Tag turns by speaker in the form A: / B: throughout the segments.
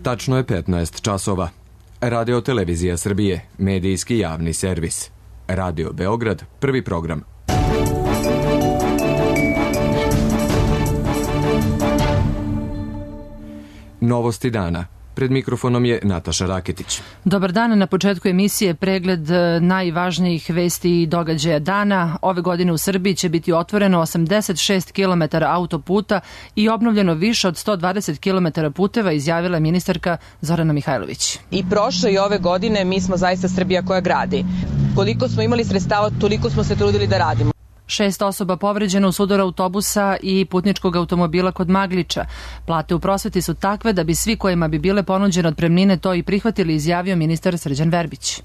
A: Tačno je 15 časova. Radio Televizija Srbije, medijski javni servis. Radio Beograd, prvi program. Novosti dana. Pred mikrofonom je Nataša Raketić.
B: Dobar dan, na početku emisije pregled najvažnijih vesti i događaja dana. Ove godine u Srbiji će biti otvoreno 86 km autoputa i obnovljeno više od 120 km puteva, izjavila ministarka Zorana Mihajlović.
C: I prošle i ove godine mi smo zaista Srbija koja gradi. Koliko smo imali sredstava, toliko smo se trudili da radimo.
B: 6 osoba povređeno u sudaru autobusa i putničkog automobila kod Magliča. Plate u prosveti su takve da bi svi kojima bi bile ponuđene otpremnine to i prihvatili, izjavio ministar Srđan Verbić.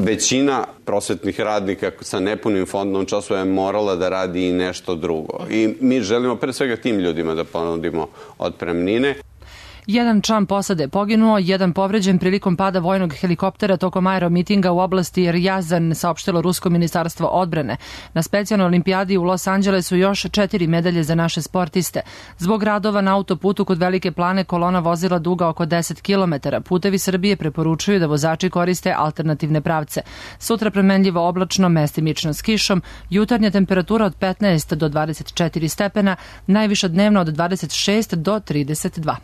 D: Većina prosvetnih radnika sa nepunim fondom časova je morala da radi i nešto drugo. I mi želimo pre svega tim ljudima da ponudimo otpremnine.
B: Jedan član posade je poginuo, jedan povređen prilikom pada vojnog helikoptera tokom aeromitinga u oblasti Rjazan, saopštilo Rusko ministarstvo odbrane. Na specijalnoj olimpijadi u Los Angelesu još 4 medalje za naše sportiste. Zbog radova na autoputu kod Velike Plane kolona vozila duga oko 10 km. Putevi Srbije preporučuju da vozači koriste alternativne pravce. Sutra premenljivo oblačno, mestimično s kišom, jutarnja temperatura od 15 do 24 stepena, najviša dnevna od 26 do 32.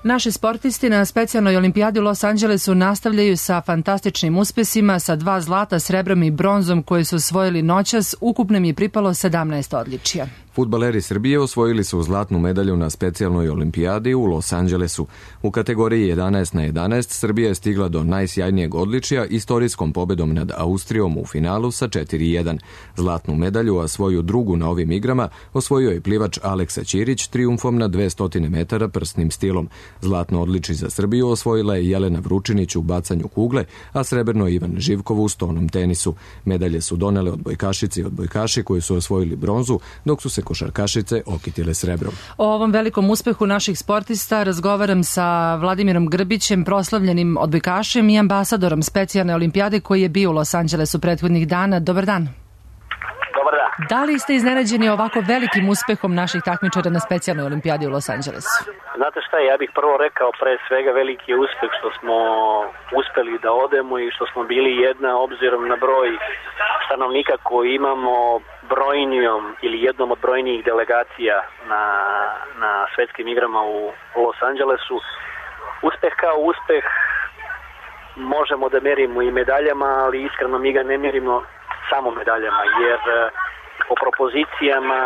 B: Naši sportisti na specijalnoj olimpijadi u Los Angelesu nastavljaju sa fantastičnim uspesima, sa 2 zlata, srebrom i bronzom koje su osvojili noćas. Ukupno im je pripalo 17 odličija.
A: Fudbaleri Srbije osvojili su zlatnu medalju na specijalnoj olimpijadi u Los Angelesu. U kategoriji 11 na 11 Srbija je stigla do najsjajnijeg odličija istorijskom pobedom nad Austrijom u finalu sa 4:1. Zlatnu medalju, a svoju drugu na ovim igrama, osvojio je plivač Aleksa Ćirić trijumfom na 200 metara prsnim stilom. Zlatno odličje za Srbiju osvojila je Jelena Vručinić u bacanju kugle, a srebrno Ivan Živkov u stonom tenisu. Medalje su donele odbojkašice i odbojkaši koji su osvojili bronzu, dok su se košarkašice okitile srebrom.
B: O ovom velikom uspehu naših sportista razgovaram sa Vladimirom Grbićem, proslavljenim odbojkašem i ambasadorom specijalne olimpijade koji je bio u Los Angelesu prethodnih dana. Dobar dan.
E: Dobar dan.
B: Da li ste iznenađeni ovako velikim uspehom naših takmičara na specijalnoj olimpijadi u Los Angelesu?
E: Znate šta, ja bih prvo rekao pre svega veliki je uspeh što smo uspeli da odemo i što smo bili jedna, obzirom na broj stanovnika koji imamo, brojnijom ili jednom od brojnijih delegacija na svetskim igrama u Los Angelesu. Uspeh kao uspeh možemo da merimo i medaljama, ali iskreno mi ga ne merimo samo medaljama, jer po propozicijama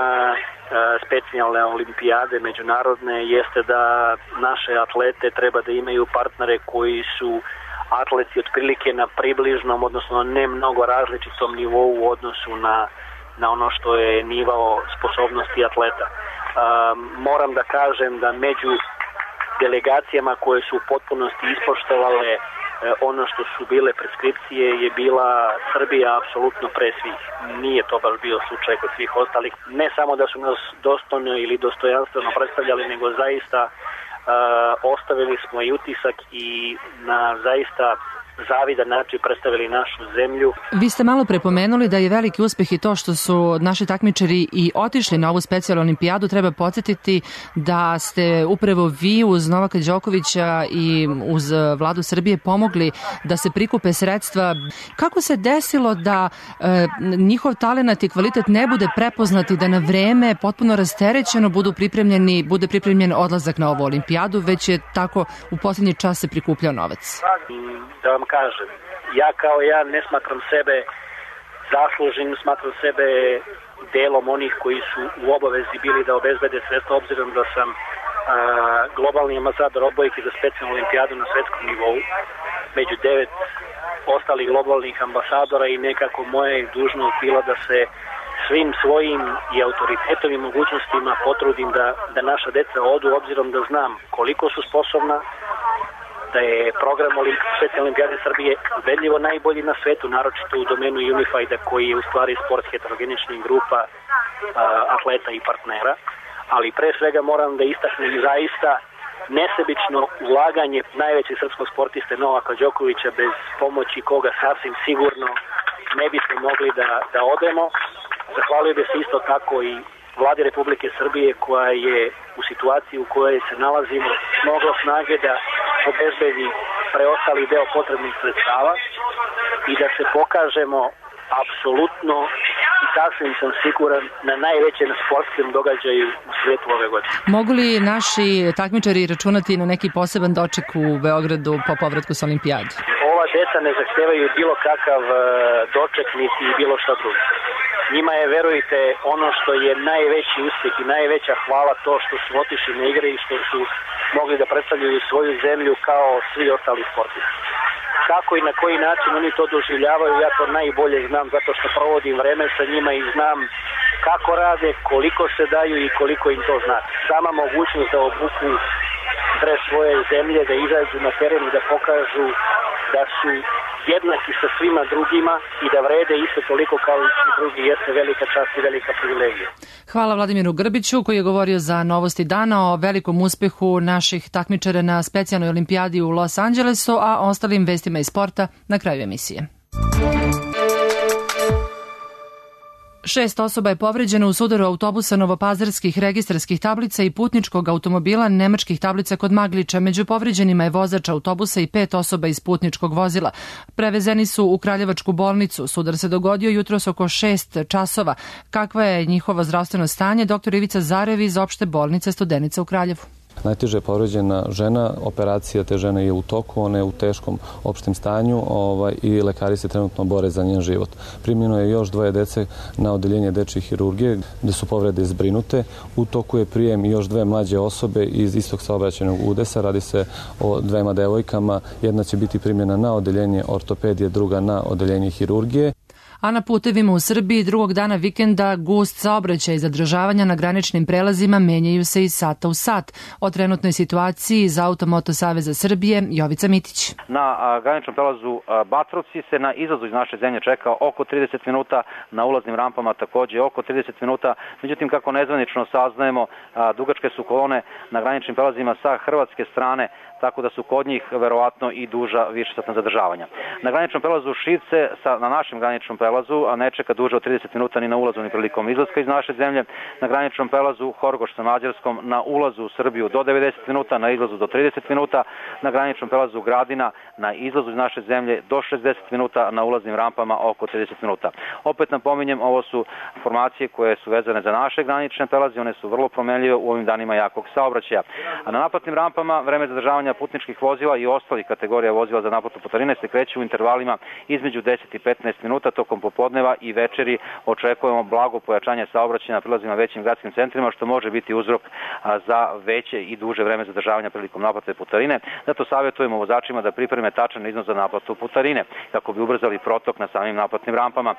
E: specijalne olimpijade međunarodne jeste da naše atlete treba da imaju partnere koji su atleti otprilike na približnom, odnosno ne mnogo različitom nivou u odnosu na ono što je nivo sposobnosti atleta. Moram da kažem da među delegacijama koje su u potpunosti ispoštovale ono što su bile preskripcije je bila Srbija apsolutno pre svih. Nije to baš bio slučaj kod svih ostalih. Ne samo da su nas dostojno ili dostojanstveno predstavljali, nego zaista ostavili smo i utisak i na zaista zavidan način predstavili našu zemlju.
B: Vi ste malo prepomenuli da je veliki uspeh i to što su naši takmičari i otišli na ovu specijalnu olimpijadu. Treba podsjetiti da ste upravo vi uz Novaka Đokovića i uz Vladu Srbije pomogli da se prikupe sredstva. Kako se desilo da njihov talenat i kvalitet ne bude prepoznat i da na vreme potpuno rasterećeno bude pripremljen odlazak na ovu olimpijadu, već je tako u posljednji čas se prikupljao novac?
E: Da vam kažem, ja ne smatram sebe zasluženim, smatram sebe delom onih koji su u obavezi bili da obezbede sredstva, obzirom da sam globalni ambasador odbojke za specijalnu olimpijadu na svetskom nivou, među 9 ostalih globalnih ambasadora, i nekako moja je dužnost bila da se svim svojim i autoritetom i mogućnostima potrudim da naša deca odu, obzirom da znam koliko su sposobna, da je program specijalne olimpijade Srbije ubedljivo najbolji na svetu, naročito u domenu Unifieda, koji je u stvari sport heterogeničnih grupa atleta i partnera. Ali pre svega moram da istaknem zaista nesebično ulaganje najvećeg srpskog sportiste Novaka Đokovića, bez pomoći koga sasvim sigurno ne bismo mogli da odemo. Zahvalio bih se isto tako i Vladi Republike Srbije, koja je u situaciji u kojoj se nalazimo mnogo snage da obezbedi preostali deo potrebnih sredstava i da se pokažemo apsolutno i sasvim sam siguran na najvećem sportskom događaju u svijetu ove godine.
B: Mogu li naši takmičari računati na neki poseban doček u Beogradu po povratku sa olimpijade?
E: Ova deca ne zahtevaju bilo kakav doček niti bilo šta drugo. Njima je, verujte, ono što je najveći uspjeh i najveća hvala to što su otišli na igre i što su mogli da predstavljaju svoju zemlju kao svi ostali sportisti. Kako i na koji način oni to doživljavaju, ja to najbolje znam zato što provodim vreme sa njima i znam kako rade, koliko se daju i koliko im to znači. Sama mogućnost da obuku dres svoje zemlje, da izađu na teren i da pokažu da su jednaki sa svima drugima i da vrede isto toliko kao i svi drugi jeste velika čast i velika privilegija.
B: Hvala Vladimiru Grbiću koji je govorio za Novosti dana o velikom uspehu naših takmičara na specijalnoj olimpijadi u Los Angelesu, a ostalim vestima iz sporta na kraju emisije. 6 osoba je povređeno u sudaru autobusa novopazarskih registarskih tablica i putničkog automobila nemačkih tablica kod Magliča. Među povređenima je vozač autobusa i 5 osoba iz putničkog vozila. Prevezeni su u Kraljevačku bolnicu. Sudar se dogodio jutros oko 6 časova. Kakva je njihovo zdravstveno stanje? Dr. Ivica Zarev iz opšte bolnice Studenica u Kraljevu.
F: Najteže je povređena žena, operacija te žene je u toku, ona je u teškom opštem stanju i lekari se trenutno bore za njen život. Primljeno je još 2 dece na odeljenje dečje hirurgije gde su povrede zbrinute. U toku je prijem još 2 mlađe osobe iz istog saobraćajnog udesa. Radi se o 2 devojkama. Jedna će biti primljena na odeljenje ortopedije, druga na odeljenje hirurgije.
B: A na putevima u Srbiji drugog dana vikenda gust saobraćaj i zadržavanja na graničnim prelazima menjaju se iz sata u sat. O trenutnoj situaciji iz Automoto Saveza Srbije Jovica Mitić.
G: Na graničnom prelazu Batrovci se na izlazu iz naše zemlje čeka oko 30 minuta, na ulaznim rampama takođe oko 30 minuta. Međutim, kako nezvanično saznajemo, dugačke su kolone na graničnim prelazima sa hrvatske strane, tako da su kod njih verovatno i duža višesatna zadržavanja. Na graničnom prelazu Šivce, na našem graničnom prelazu, a ne čeka duže od 30 minuta ni na ulazu ni prilikom izlaska iz naše zemlje. Na graničnom prelazu Horgoš sa Mađarskom na ulazu u Srbiju do 90 minuta, na izlazu do 30 minuta. Na graničnom prelazu Gradina na izlazu iz naše zemlje do 60 minuta, na ulaznim rampama oko 30 minuta. Opet napominjem, ovo su informacije koje su vezane za naše granične prelaze, one su vrlo promenljive u ovim danima jakog saobraćaja. A na naplatnim rampama vreme zadržavanja putničkih vozila i ostalih kategorija vozila za naplatu putarine se kreću u intervalima između 10 i 15 minuta tokom popodneva i večeri. Očekujemo blago pojačanje saobraćaja na prilazima većim gradskim centrima, što može biti uzrok za veće i duže vreme zadržavanja prilikom naplate putarine. Zato savjetujemo vozačima da pripreme tačan iznos za naplatu putarine kako bi ubrzali protok na samim naplatnim rampama.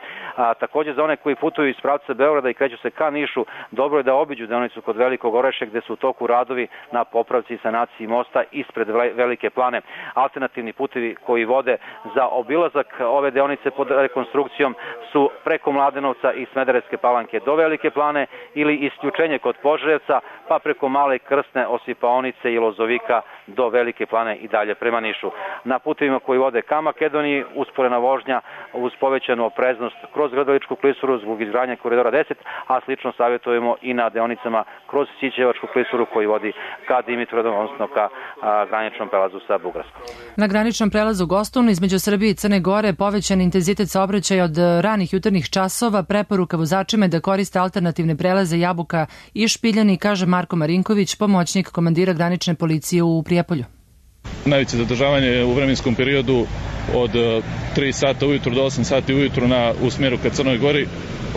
G: Takođe za one koji putuju iz pravca Beograda i kreću se ka Nišu, dobro je da obiđu deonicu kod Velikog Orašja gde su u toku radovi na popravci i sanaciji mosta ispred Velike Plane. Alternativni putevi koji vode za obilazak ove deonice pod rekonstrukcijom su preko Mladenovca i Smederevske Palanke do Velike Plane ili isključenje kod Požarevca pa preko Male Krsne, Osipaonice i Lozovika do Velike Plane i dalje prema Nišu. Na putevima koji vode ka Makedoniji usporena vožnja uz povećanu opreznost kroz Grdeličku klisuru zbog izgradnje koridora 10, a slično savjetujemo i na deonicama kroz Sićevačku klisuru koji vodi ka Dimitrovgradu, odnosno ka graničnom prelazu sa Bugarskom.
B: Na graničnom prelazu Gostun između Srbije i Crne Gore povećan intenzitet saobraćaja od ranih jutarnjih časova, preporuka vozačima da koriste alternativne prelaze Jabuka i Špiljani, kaže Marko Marinković, pomoćnik komandira granične policije u Prijepolju.
H: Najveće zadržavanje u vremenskom periodu od 3 sata ujutru do 8 sati ujutru u smjeru ka Crnoj Gori,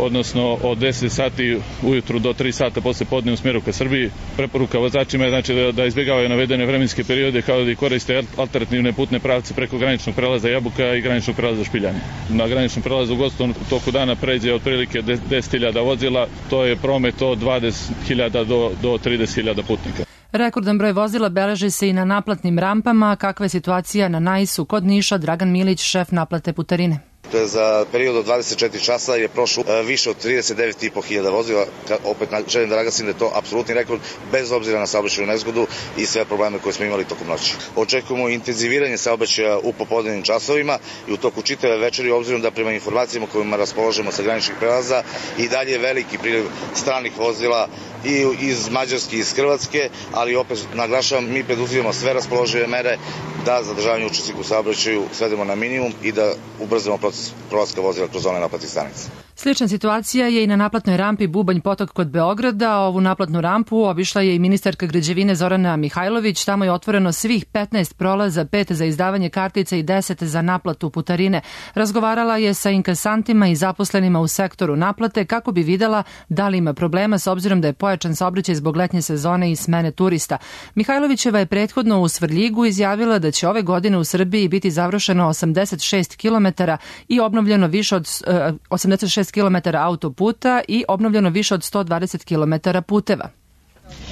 H: odnosno od 10 sati ujutru do 3 sata posle podne u smjeru ka Srbiji. Preporuka vozačima je znači da izbjegavaju navedene vremenske periode kao da koriste alternativne putne pravce preko graničnog prelaza Jabuka i graničnog prelaza Špiljani. Na graničnom prelazu u Gostun u toku dana pređe otprilike 10.000 vozila, to je promet od 20.000 do 30.000 putnika.
B: Rekordan broj vozila beleži se i na naplatnim rampama. Kakva je situacija na Najsu kod Niša? Dragan Milić, šef naplate putarine.
I: Za period od 24 časa je prošlo više od 39.500 vozila. Opet želim da naglasim da je to apsolutni rekord bez obzira na saobraćajnu nezgodu i sve probleme koje smo imali tokom noći. Očekujemo intenziviranje saobraćaja u popodnevnim časovima i u toku čitave večeri, obzirom da prema informacijama kojima raspolažemo sa graničnih prelaza i dalje veliki priliv stranih vozila i iz Mađarske i iz Hrvatske, ali opet naglašavam, mi preduzimamo sve raspoložive mere da zadržavanje učesnika u saobraćaju svedemo na minimum i da ubrzamo proces prolaska vozila kroz zone naplatnih stanica.
B: Slična situacija je i na naplatnoj rampi Bubanj Potok kod Beograda. Ovu naplatnu rampu obišla je i ministarka građevine Zorana Mihajlović. Tamo je otvoreno svih 15 prolaza, 5 za izdavanje kartica i 10 za naplatu putarine. Razgovarala je sa inkasantima i zaposlenima u sektoru naplate kako bi videla da li ima problema s obzirom da je pojačan saobraćaj zbog letnje sezone i smene turista. Mihajlovićeva je prethodno u Svrljigu izjavila da će ove godine u Srbiji biti završeno 86 km i obnovljeno više od 86 km autoputa i obnovljeno više od 120 km puteva.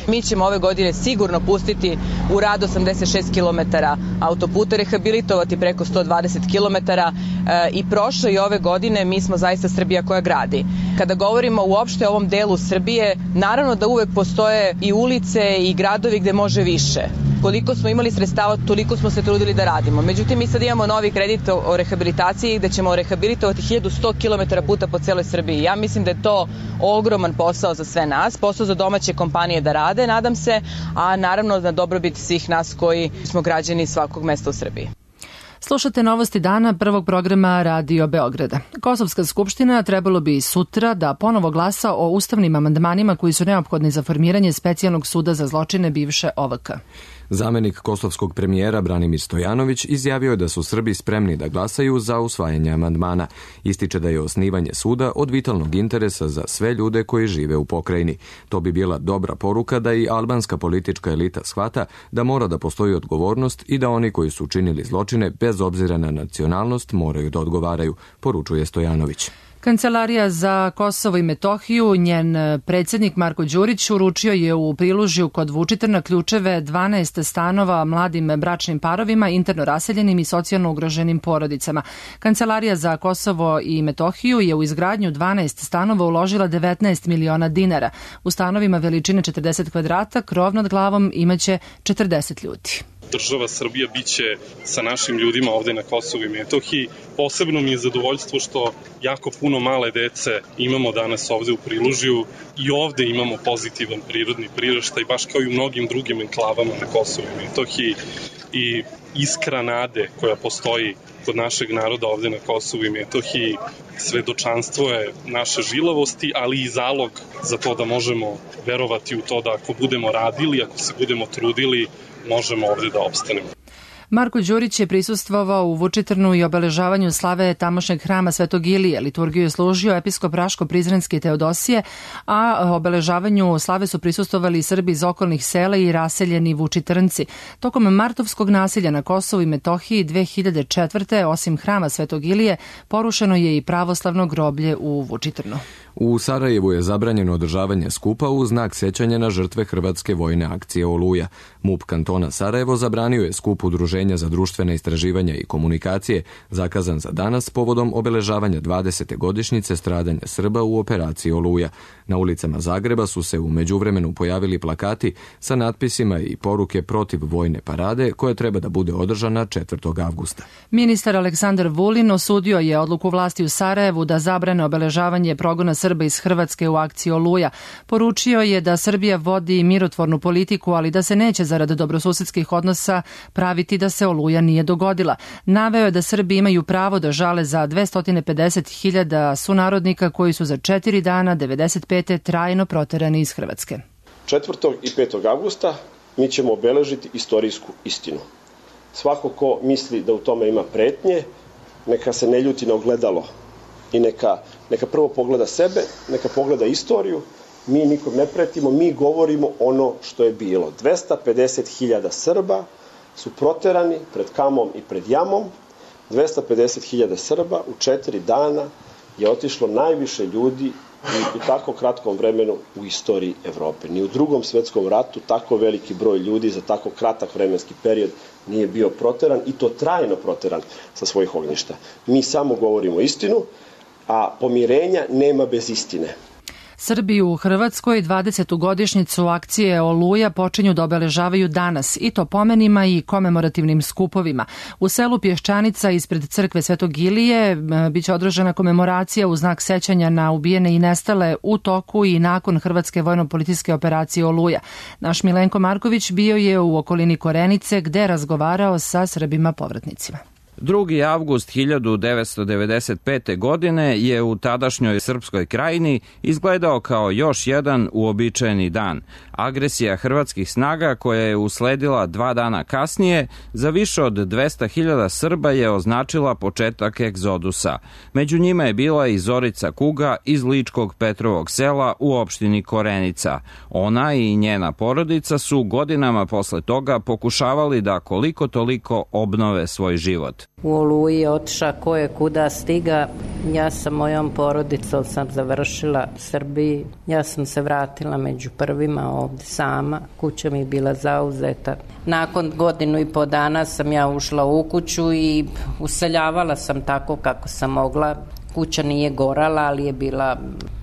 C: Mi ćemo ove godine sigurno pustiti u rad 86 km autoputa, rehabilitovati preko 120 km i prošle i ove godine mi smo zaista Srbija koja gradi. Kada govorimo uopšte o ovom delu Srbije, naravno da uvek postoje i ulice i gradovi gde može više. Koliko smo imali sredstava, toliko smo se trudili da radimo. Međutim, mi sad imamo novi kredit o rehabilitaciji gde ćemo rehabilitovati 1100 km puta po celoj Srbiji. Ja mislim da je to ogroman posao za sve nas, posao za domaće kompanije da rade, nadam se, a naravno na dobrobit svih nas koji smo građani svakog mesta u Srbiji.
B: Slušate novosti dana prvog programa Radio Beograda. Kosovska skupština trebalo bi sutra da ponovo glasa o ustavnim amandmanima koji su neophodni za formiranje specijalnog suda za zločine bivše OVK.
A: Zamenik kosovskog premijera Branimir Stojanović izjavio je da su Srbi spremni da glasaju za usvajanje amandmana. Ističe da je osnivanje suda od vitalnog interesa za sve ljude koji žive u pokrajini. To bi bila dobra poruka da i albanska politička elita shvata da mora da postoji odgovornost i da oni koji su učinili zločine bez obzira na nacionalnost moraju da odgovaraju, poručuje Stojanović.
B: Kancelarija za Kosovo i Metohiju, njen predsjednik Marko Đurić uručio je u Prilužju kod Vučitrna ključeve 12 stanova mladim bračnim parovima, interno raseljenim i socijalno ugroženim porodicama. Kancelarija za Kosovo i Metohiju je u izgradnju 12 stanova uložila 19 miliona dinara. U stanovima veličine 40 kvadrata krov nad glavom imaće 40 ljudi.
J: Država Srbija biće sa našim ljudima ovde na Kosovu i Metohiji. Posebno mi je zadovoljstvo što jako puno male dece imamo danas ovde u Prilužju i ovde imamo pozitivan prirodni priraštaj, baš kao i u mnogim drugim enklavama na Kosovu i Metohiji. I iskra nade koja postoji kod našeg naroda ovde na Kosovu i Metohiji svedočanstvo je naše žilavosti, ali i zalog za to da možemo verovati u to da ako budemo radili, ako se budemo trudili, možemo ovde da opstanemo.
B: Marko Đurić je prisustvovao u Vučitrnu i obeležavanju slave tamošnjeg hrama Svetog Ilije. Liturgiju je služio episkop Raško-Prizrenski Teodosije, a obeležavanju slave su prisustvovali Srbi iz okolnih sela i raseljeni Vučitrnci. Tokom martovskog nasilja na Kosovu i Metohiji 2004. osim hrama Svetog Ilije, porušeno je i pravoslavno groblje u Vučitrnu.
A: U Sarajevu je zabranjeno održavanje skupa u znak sećanja na žrtve hrvatske vojne akcije Oluja. MUP kantona Sarajevo zabranio je skup Udruženja za društvene istraživanja i komunikacije, zakazan za danas povodom obeležavanja 20. godišnjice stradanja Srba u operaciji Oluja. Na ulicama Zagreba su se u međuvremenu pojavili plakati sa natpisima i poruke protiv vojne parade koja treba da bude održana 4. avgusta.
B: Ministar Aleksandar Vulin osudio je odluku vlasti u Sarajevu da zabrane obeležavanje progona Srba iz Hrvatske u akciji Oluja. Poručio je da Srbija vodi mirotvornu politiku, ali da se neće zarad dobrosusedskih odnosa praviti da se Oluja nije dogodila. Naveo je da Srbi imaju pravo da žale za 250.000 sunarodnika koji su za 4 dana 95. trajno proterani iz Hrvatske.
K: 4. i 5. avgusta mi ćemo obeležiti istorijsku istinu. Svako ko misli da u tome ima pretnje, neka se ne ljuti na ogledalo i neka prvo pogleda sebe, neka pogleda istoriju. Mi nikom ne pretimo, mi govorimo ono što je bilo. 250.000 Srba su proterani pred Kamom i pred Jamom. 250.000 Srba u 4 dana je otišlo najviše ljudi i u tako kratkom vremenu u istoriji Evrope. Ni u Drugom svetskom ratu tako veliki broj ljudi za tako kratak vremenski period nije bio proteran i to trajno proteran sa svojih ognjišta. Mi samo govorimo istinu, a pomirenja nema bez istine.
B: Srbi u Hrvatskoj 20. godišnjicu akcije Oluja počinju da obeležavaju danas, i to pomenima i komemorativnim skupovima. U selu Pješčanica ispred crkve Svetog Ilije biće održana komemoracija u znak sećanja na ubijene i nestale u toku i nakon hrvatske vojno-policijske operacije Oluja. Naš Milenko Marković bio je u okolini Korenice gde je razgovarao sa Srbima povratnicima.
L: 2. avgust 1995. godine je u tadašnjoj Srpskoj krajini izgledao kao još jedan uobičajeni dan. Agresija hrvatskih snaga koja je usledila 2 dana kasnije za više od 200.000 Srba je označila početak egzodusa. Među njima je bila i Zorica Kuga iz Ličkog Petrovog sela u opštini Korenica. Ona i njena porodica su godinama posle toga pokušavali da koliko toliko obnove svoj život.
M: U Oluji otiša ko je kuda stiga. Ja sa mojom porodicom sam završila u Srbiji. Ja sam se vratila među prvima ovde sama. Kuća mi je bila zauzeta. Nakon 1.5 dana sam ja ušla u kuću i useljavala sam tako kako sam mogla. Kuća nije gorala, ali je bila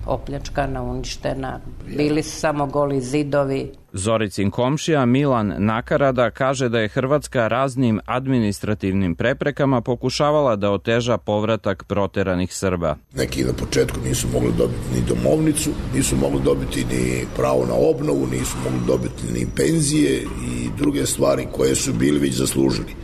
M: opljačkana, uništena. Bili su samo goli zidovi.
L: Zoricin komšija Milan Nakarada kaže da je Hrvatska raznim administrativnim preprekama pokušavala da oteža povratak proteranih Srba.
N: Neki na početku nisu mogli dobiti ni domovnicu, nisu mogli dobiti ni pravo na obnovu, nisu mogli dobiti ni penzije i druge stvari koje su bili već zaslužili.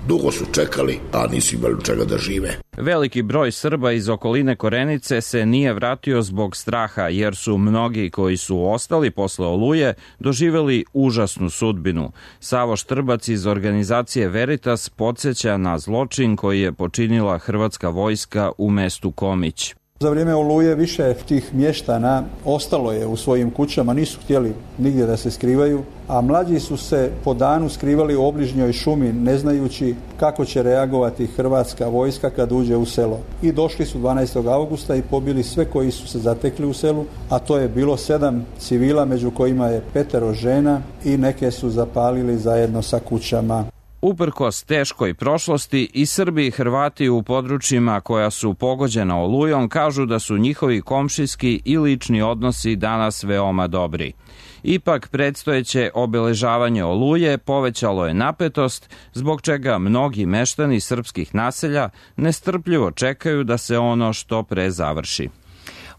N: Dugo su čekali, a nisu imali čega da žive.
L: Veliki broj Srba iz okoline Korenice se nije vratio zbog straha, jer su mnogi koji su ostali posle Oluje doživeli užasnu sudbinu. Savo Štrbac iz organizacije Veritas podsjeća na zločin koji je počinila hrvatska vojska u mestu Komić.
O: Za vrijeme Oluje više tih mještana ostalo je u svojim kućama, nisu htjeli nigdje da se skrivaju, a mlađi su se po danu skrivali u obližnjoj šumi, ne znajući kako će reagovati hrvatska vojska kad uđe u selo. I došli su 12. augusta i pobili sve koji su se zatekli u selu, a to je bilo 7 civila, među kojima je 5 žena i neke su zapalili zajedno sa kućama.
L: Uprkos teškoj prošlosti, i Srbi i Hrvati u područjima koja su pogođena Olujom kažu da su njihovi komšijski i lični odnosi danas veoma dobri. Ipak, predstojeće obeležavanje Oluje povećalo je napetost, zbog čega mnogi meštani srpskih naselja nestrpljivo čekaju da se ono što pre završi.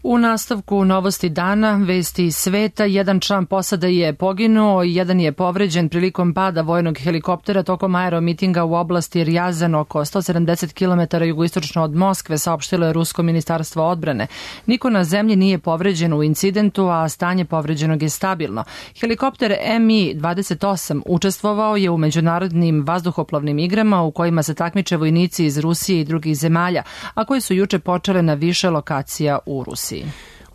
B: U nastavku novosti dana, vesti iz sveta, jedan član posade je poginuo, jedan je povređen prilikom pada vojnog helikoptera tokom aeromitinga u oblasti Rjazan, oko 170 km jugoistočno od Moskve, saopštilo je Rusko ministarstvo odbrane. Niko na zemlji nije povređen u incidentu, a stanje povređenog je stabilno. Helikopter Mi-28 učestvovao je u međunarodnim vazduhoplovnim igrama u kojima se takmiče vojnici iz Rusije i drugih zemalja, a koje su juče počele na više lokacija u Rusiji.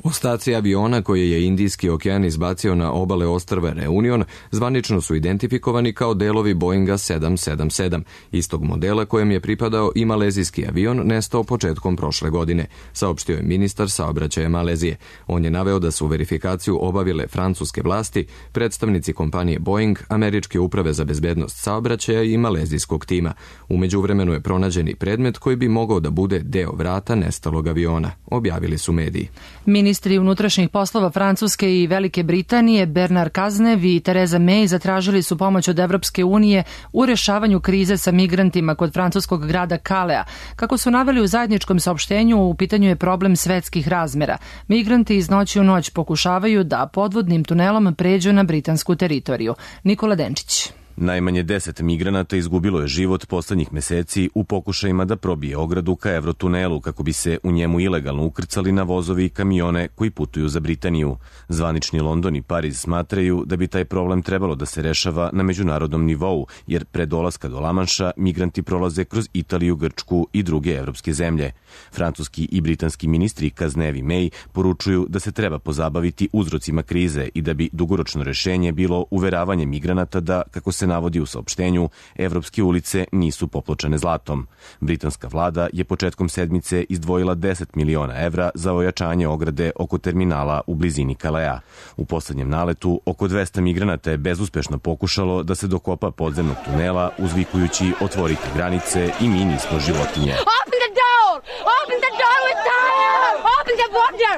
A: Ostaci aviona koje je Indijski okean izbacio na obale ostrva Reunion zvanično su identifikovani kao delovi Boeinga 777, istog modela kojem je pripadao i malezijski avion nestao početkom prošle godine, saopštio je ministar saobraćaja Malezije. On je naveo da su verifikaciju obavile francuske vlasti, predstavnici kompanije Boeing, Američke uprave za bezbednost saobraćaja i malezijskog tima. U međuvremenu je pronađen i predmet koji bi mogao da bude deo vrata nestalog aviona, objavili su mediji.
B: Ministri unutrašnjih poslova Francuske i Velike Britanije Bernard Cazeneuve i Theresa May zatražili su pomoć od Evropske unije u rešavanju krize sa migrantima kod francuskog grada Kalea. Kako su naveli u zajedničkom saopštenju, u pitanju je problem svetskih razmera. Migranti iz noći u noć pokušavaju da podvodnim tunelom pređu na britansku teritoriju. Nikola Denčić.
P: Najmanje 10 migranata izgubilo je život poslednjih meseci u pokušajima da probije ogradu ka Eurotunelu kako bi se u njemu ilegalno ukrcali na vozovi i kamione koji putuju za Britaniju. Zvanični London i Pariz smatraju da bi taj problem trebalo da se rešava na međunarodnom nivou, jer pre dolaska do Lamanša migranti prolaze kroz Italiju, Grčku i druge evropske zemlje. Francuski i britanski ministri Cazeneuve i May poručuju da se treba pozabaviti uzrocima krize i da bi dugoročno rešenje bilo uveravanje migranata da, kako se se navodi u saopštenju, evropske ulice nisu popločene zlatom. Britanska vlada je početkom sedmice izdvojila 10 miliona evra za ojačanje ograde oko terminala u blizini Kalea. U poslednjem naletu oko 200 migranata je bezuspešno pokušalo da se dokopa podzemnog tunela uzvikujući otvoriti granice i mi nismo životinje.
Q: Open the door! Open the door, we're tired! Open the border!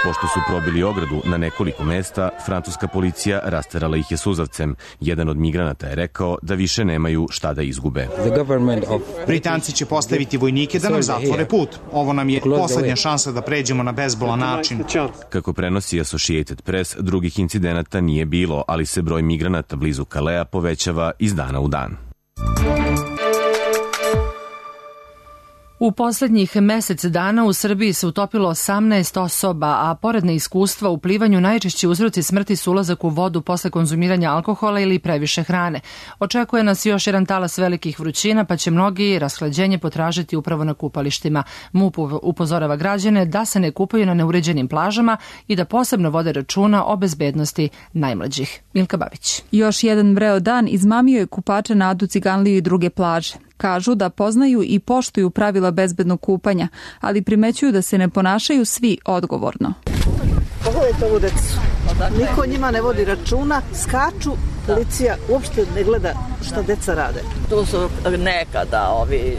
P: Pošto su probili ogradu na nekoliko mesta, francuska policija rasterala ih je suzavcem. Jedan od migranata je rekao da više nemaju šta da izgube.
R: Britanci će postaviti vojnike da nam zatvore put. Ovo nam je poslednja šansa da pređemo na bezbolan način.
P: Kako prenosi Associated Press, drugih incidenata nije bilo, ali se broj migranata blizu Kalea povećava iz dana u dan.
B: U poslednjih mesec dana u Srbiji se utopilo 18 osoba, a pored neiskustva u plivanju najčešći uzroci smrti su ulazak u vodu posle konzumiranja alkohola ili previše hrane. Očekuje nas još jedan talas velikih vrućina, pa će mnogi rashlađenje potražiti upravo na kupalištima. MUP upozorava građane da se ne kupaju na neuređenim plažama i da posebno vode računa o bezbednosti najmlađih. Milka Babić.
S: Još jedan vreo dan izmamio je kupače na Adu, Ciganliju i druge plaže. Kažu da poznaju i poštuju pravila bezbednog kupanja, ali primećuju da se ne ponašaju svi odgovorno.
T: Pogledajte ovu decu. Niko njima ne vodi računa, skaču, policija uopšte ne gleda šta deca rade.
U: Tu su nekada ovi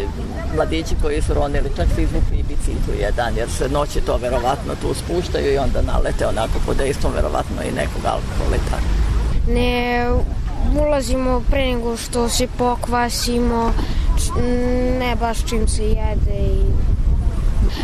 U: mladići koji su ronili, čak se izvukli i biciklu jedan, jer se noći to verovatno tu spuštaju i onda nalete onako pod dejstvom verovatno i nekog alkohola i tako.
V: Ne ulazimo pre nego što se pokvasimo, ne baš čim se jede i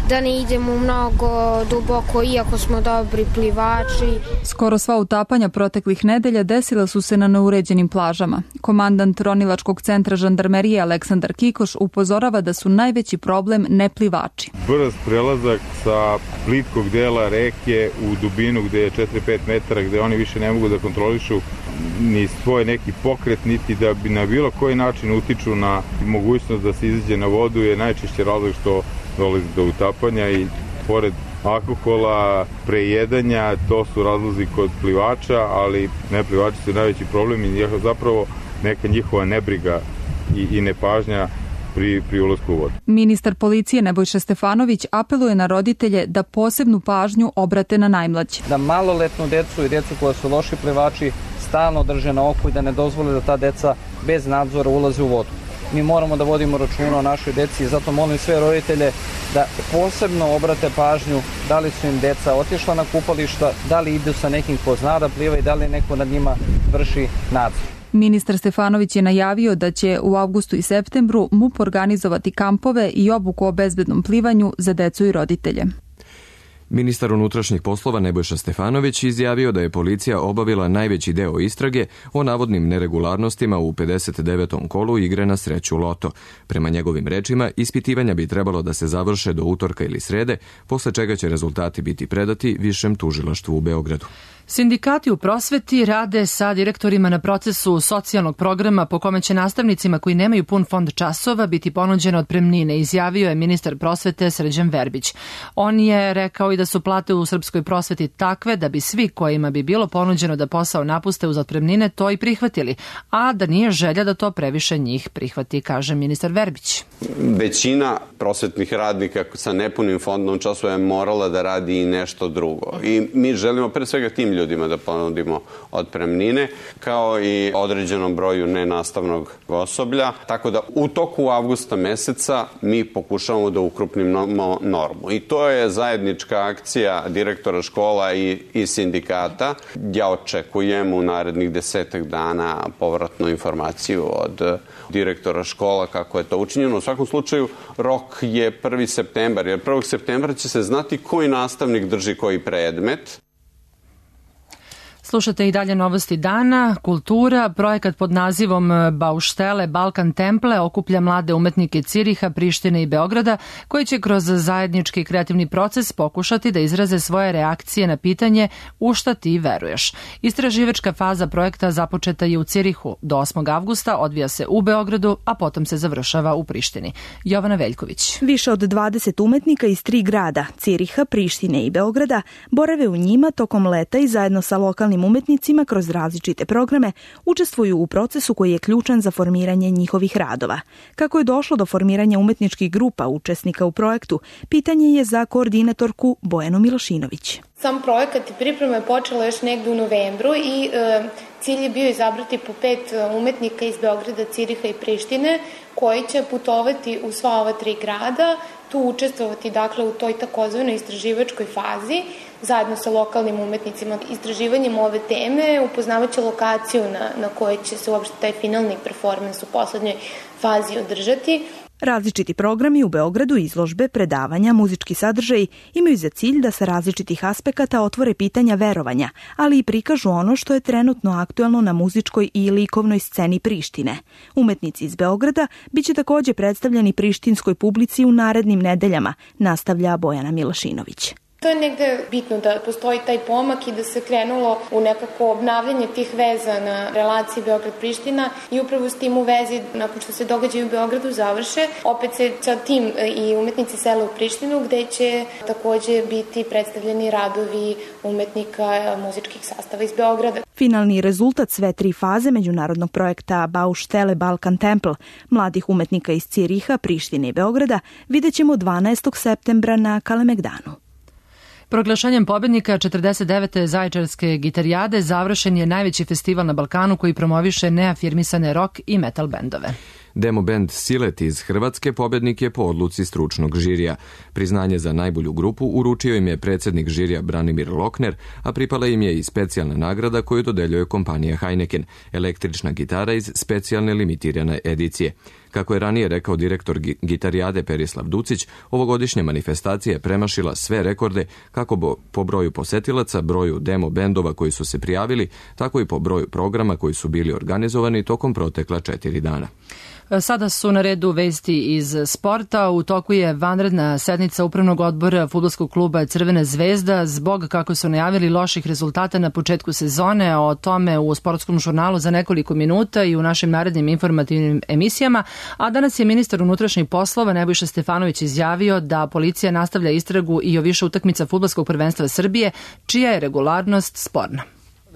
V: da ne idemo mnogo duboko iako smo dobri plivači.
S: Skoro sva utapanja proteklih nedelja desila su se na neuređenim plažama. Komandant ronilačkog centra žandarmerije Aleksandar Kikoš upozorava da su najveći problem neplivači.
W: Brz prelazak sa plitkog dela reke u dubinu gde je 4-5 metara, gde oni više ne mogu da kontrolišu ni svoj neki pokret, niti da bi na bilo koji način utiču na mogućnost da se izađe na vodu, je najčešće razlog što dolazi do utapanja i pored alkohola, prejedanja, to su razlozi kod plivača, ali neplivači su najveći problem i zapravo neka njihova nebriga i nepažnja pri ulasku u vodu.
S: Ministar policije Nebojša Stefanović apeluje na roditelje da posebnu pažnju obrate na najmlađe.
X: Da maloletnu decu i decu koja su loši plivači stalno drže na oku i da ne dozvole da ta deca bez nadzora ulaze u vodu. Mi moramo da vodimo računa o našoj deci i zato molim sve roditelje da posebno obrate pažnju da li su im deca otišla na kupališta, da li idu sa nekim ko zna da pliva i da li neko nad njima vrši nadzor.
S: Ministar Stefanović je najavio da će u avgustu i septembru MUP organizovati kampove i obuku o bezbednom plivanju za decu i roditelje.
A: Ministar unutrašnjih poslova Nebojša Stefanović izjavio da je policija obavila najveći deo istrage o navodnim neregularnostima u 59. kolu igre na sreću Loto. Prema njegovim rečima, ispitivanja bi trebalo da se završe do utorka ili srede, posle čega će rezultati biti predati Višem tužilaštvu u Beogradu.
B: Sindikati u prosveti rade sa direktorima na procesu socijalnog programa po kome će nastavnicima koji nemaju pun fond časova biti ponuđene otpremnine, izjavio je ministar prosvete Srđan Verbić. On je rekao i da su plate u srpskoj prosveti takve da bi svi kojima bi bilo ponuđeno da posao napuste uz otpremnine to i prihvatili, a da nije želja da to previše njih prihvati, kaže ministar Verbić.
D: Većina prosvetnih radnika sa nepunim fondom časova je morala da radi i nešto drugo. I mi želimo pre svega tim ljudima da ponudimo otpremnine, kao i određenom broju nenastavnog osoblja. Tako da u toku avgusta meseca mi pokušavamo da ukrupnimo normu. I to je zajednička akcija direktora škola i sindikata. Ja očekujem u narednih 10 dana povratnu informaciju od direktora škola kako je to učinjeno. U svakom slučaju rok je 1. septembar, jer 1. septembra će se znati koji nastavnik drži koji predmet.
B: Slušate i dalje novosti dana. Kultura, projekat pod nazivom Bauštele Balkan Temple okuplja mlade umetnike Ciriha, Prištine i Beograda koji će kroz zajednički kreativni proces pokušati da izraze svoje reakcije na pitanje u šta ti veruješ. Istraživačka faza projekta započeta je u Cirihu. Do 8. avgusta odvija se u Beogradu, a potom se završava u Prištini. Jovana Veljković.
Y: Više od 20 umetnika iz 3 grada, Ciriha, Prištine i Beograda, borave u njima tokom leta i zajedno sa lokalnim lokalnim umetnicima kroz različite programe učestvuju u procesu koji je ključan za formiranje njihovih radova. Kako je došlo do formiranja umetničkih grupa učesnika u projektu, pitanje je za koordinatorku Bojanu Milošinović.
E: Sam projekat i priprema je počela još negde u novembru i cilj je bio izabrati po 5 umetnika iz Beograda, Ciriha i Prištine koji će putovati u sva ova 3 grada, tu učestvovati dakle u toj takozvanoj istraživačkoj fazi zajedno sa lokalnim umetnicima. Istraživanjem ove teme upoznavaće lokaciju na kojoj će se uopšte taj finalni performans u poslednjoj fazi održati.
Y: Različiti programi u Beogradu, izložbe, predavanja, muzički sadržaji imaju za cilj da sa različitih aspekata otvore pitanja verovanja, ali i prikažu ono što je trenutno aktuelno na muzičkoj i likovnoj sceni Prištine. Umetnici iz Beograda biće takođe predstavljeni prištinskoj publici u narednim nedeljama, nastavlja Bojana Milošinović.
E: To je negde bitno da postoji taj pomak i da se krenulo u nekako obnavljanje tih veza na relaciji Beograd-Priština i upravo s tim u vezi, nakon što se događaju u Beogradu završe, opet se sa tim i umetnici sele u Prištinu gde će takođe biti predstavljeni radovi umetnika muzičkih sastava iz Beograda.
Y: Finalni rezultat sve 3 faze međunarodnog projekta Baustelle Balkan Temple mladih umetnika iz Ciriha, Prištine i Beograda vidjet ćemo 12. septembra na Kalemegdanu.
B: Proglašenjem pobednika 49. Zaječarske gitarijade završen je najveći festival na Balkanu koji promoviše neafirmisane rock i metal bendove.
A: Demo band Silet iz Hrvatske pobednik je po odluci stručnog žirija. Priznanje za najbolju grupu uručio im je predsjednik žirija Branimir Lokner, a pripala im je i specijalna nagrada koju dodeljuje kompanija Heineken, električna gitara iz specijalne limitirane edicije. Kako je ranije rekao direktor gitarijade Perislav Ducić, ovogodišnja manifestacija je premašila sve rekorde kako po broju posetilaca, broju demo bendova koji su se prijavili, tako i po broju programa koji su bili organizovani tokom protekla 4 dana.
B: Sada su na redu vesti iz sporta. U toku je vanredna sednica Upravnog odbora fudbalskog kluba Crvena zvezda zbog, kako su najavili, loših rezultata na početku sezone. O tome u sportskom žurnalu za nekoliko minuta i u našim narednim informativnim emisijama. A danas je ministar unutrašnjih poslova Nebojša Stefanović izjavio da policija nastavlja istragu i o više utakmica fudbalskog prvenstva Srbije, čija je regularnost sporna.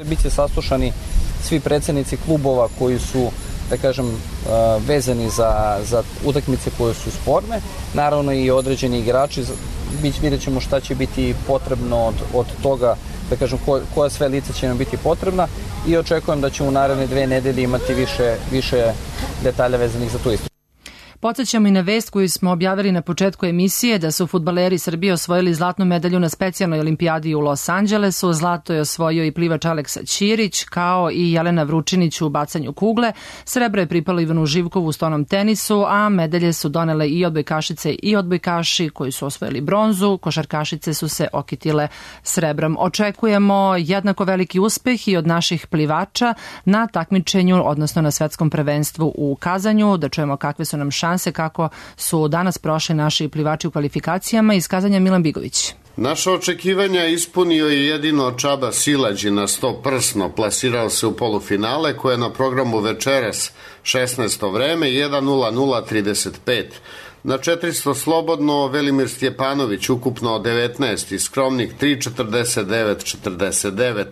X: Biće saslušani svi predsednici klubova koji su, da kažem, vezani za utakmice koje su sporne, naravno i određeni igrači. Vidjet ćemo šta će biti potrebno od toga, da kažem, koja sve lica će nam biti potrebna i očekujem da ćemo u naredne 2 nedelje imati više detalja vezanih za tu istragu.
B: Podsećamo i na vest koju smo objavili na početku emisije da su fudbaleri Srbije osvojili zlatnu medalju na specijalnoj olimpijadi u Los Angelesu. Zlato je osvojio i plivač Aleksa Ćirić, kao i Jelena Vručinić u bacanju kugle. Srebro je pripalo Ivanu Živkovu u stonom tenisu, a medalje su donele i odbojkašice i odbojkaši koji su osvojili bronzu. Košarkašice su se okitile srebrom. Očekujemo jednako veliki uspeh i od naših plivača na takmičenju, odnosno na svetskom prvenstvu u Kazanju. Da čujemo kakve su nam šanse, kako su danas prošli naši plivači u kvalifikacijama. Iz Kazanja Milan Bigović.
F: Naša očekivanja ispunio je jedino Čaba Silađi na 100 prsno. Plasirao se u polufinale koje je na programu večeras 16. vreme 1:00:35. Na 400 slobodno Velimir Stjepanović ukupno 19 i skromnih 3:49:49.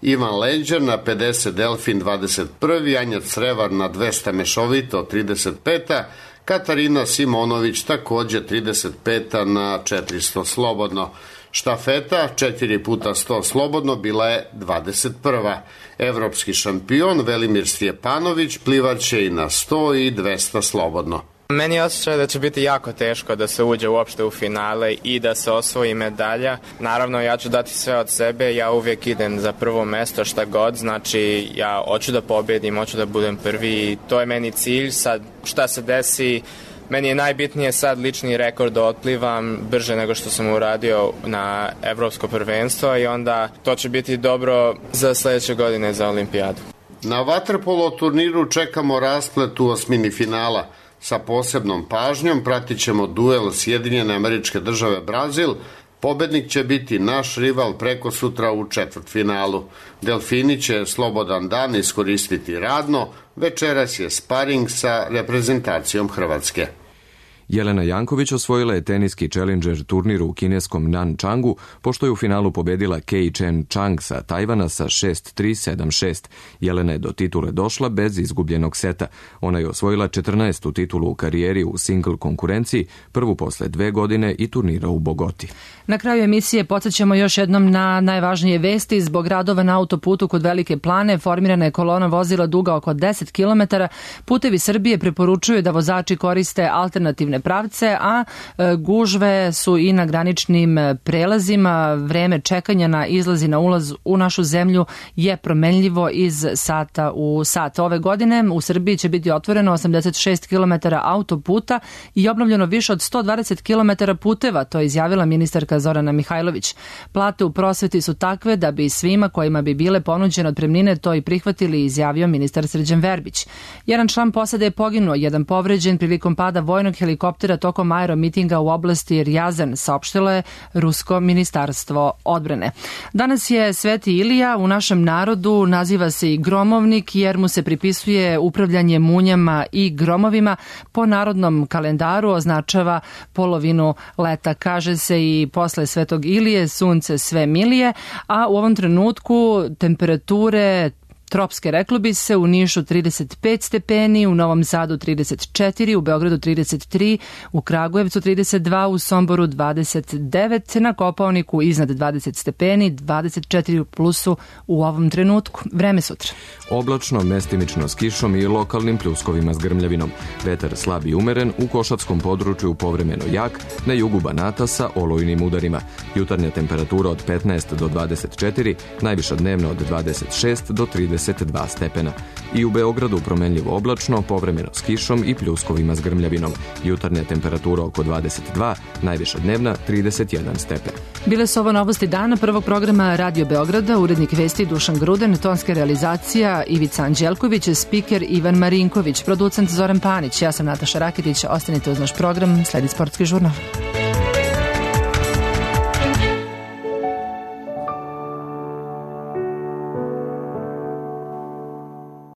F: Ivan Lenđer na 50 Delfin 21. Anja Crevar na 200 mešovito 35. Katarina Simonović takođe 35. na 400 slobodno. Štafeta 4x100 slobodno bila je 21. Evropski šampion Velimir Stjepanović plivaće i na 100 i 200 slobodno.
G: Meni je osjećaj da će biti jako teško da se uđe uopšte u finale i da se osvoji medalja. Naravno, ja ću dati sve od sebe, ja uvijek idem za prvo mesto šta god, znači ja hoću da pobedim, hoću da budem prvi i to je meni cilj. Sad šta se desi, meni je najbitnije sad lični rekord da otplivam brže nego što sam uradio na evropsko prvenstvo i onda to će biti dobro za sledeće godine za olimpijadu.
F: Na vaterpolo turniru čekamo rasplet u osmini finala. Sa posebnom pažnjom pratit ćemo duel Sjedinjene Američke Države Brazil. Pobednik će biti naš rival preko sutra u četvrtfinalu. Delfini će slobodan dan iskoristiti radno. Večeras je sparing sa reprezentacijom Hrvatske.
A: Jelena Janković osvojila je teniski Challenger turnir u kineskom Nančangu, pošto je u finalu pobedila Kei Chen Chang sa Tajvana sa 6-3, 7-6. Jelena je do titule došla bez izgubljenog seta. Ona je osvojila 14. titulu u karijeri u single konkurenciji, prvu posle 2 godine i turnira u Bogoti.
B: Na kraju emisije podsjećamo još jednom na najvažnije vesti. Zbog radova na autoputu kod Velike Plane formirana je kolona vozila duga oko 10 km. Putevi Srbije preporučuju da vozači koriste alternativne pravce, a gužve su i na graničnim prelazima. Vreme čekanja na izlazi na ulaz u našu zemlju je promenljivo iz sata u sat. Ove godine u Srbiji će biti otvoreno 86 km autoputa i obnovljeno više od 120 km puteva, to je izjavila ministarka Zorana Mihajlović. Plate u prosveti su takve da bi svima kojima bi bile ponuđene otpremnine to i prihvatili, izjavio ministar Srđan Verbić. Jedan član posade je poginuo, jedan povređen prilikom pada vojnog helikoptera tokom aeromitinga u oblasti Rjazan, saopštilo je Rusko ministarstvo odbrane. Danas je Sveti Ilija, u našem narodu naziva se i gromovnik jer mu se pripisuje upravljanje munjama i gromovima. Po narodnom kalendaru označava polovinu leta. Kaže se i posle Svetog Ilije sunce sve milije, a u ovom trenutku temperature tropske, reklo bi se, u Nišu 35 stepeni, u Novom Sadu 34, u Beogradu 33, u Kragujevcu 32, u Somboru 29, na Kopaoniku iznad 20 stepeni, 24 u plusu u ovom trenutku. Vreme sutra.
A: Oblačno, mestimično s kišom i lokalnim pljuskovima s grmljavinom. Vetar slab i umeren, u Košatskom području povremeno jak, na jugu Banata sa olujnim udarima. Jutarnja temperatura od 15 do 24, najviša dnevna od 26 do 32 stepena. I u Beogradu promenljivo oblačno, povremeno s kišom i pljuskovima s grmljavinom. Jutarnja temperatura oko 22, najviša dnevna 31 stepen.
B: Bile su ovo novosti dana prvog programa Radio Beograda, urednik vesti Dušan Gruden, tonska realizacija Ivica Anđelković, spiker Ivan Marinković, producent Zoran Panić. Ja sam Nataša Raketić, ostanite uz naš program, sledi Sportski žurnal.